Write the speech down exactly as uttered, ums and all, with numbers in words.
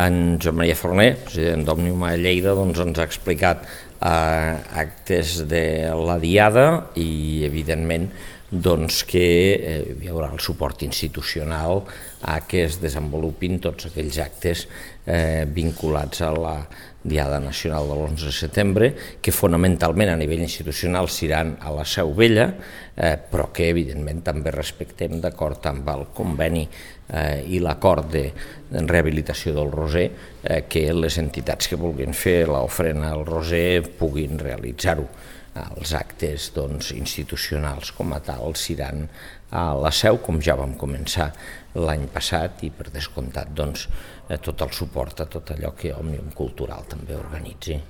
En Joan Maria Forner, president d'Òmnium a Lleida, doncs ens ha explicat eh, actes de la Diada i, evidentment, doncs que eh, hi haurà el suport institucional a que es desenvolupin tots aquells actes eh, vinculats a la Diada Nacional de l'onze de setembre, que fonamentalment a nivell institucional seran a la Seu Vella, eh, però que evidentment també respectem, d'acord amb el conveni eh, i l'acord de rehabilitació del Roser, eh, que les entitats que vulguin fer l'ofrena al Roser puguin realitzar-ho. Els actes doncs, institucionals com a tal seran a la Seu, com ja vam començar l'any passat, i per descomptat doncs, tot el suport a tot allò que Òmnium Cultural també organitzi.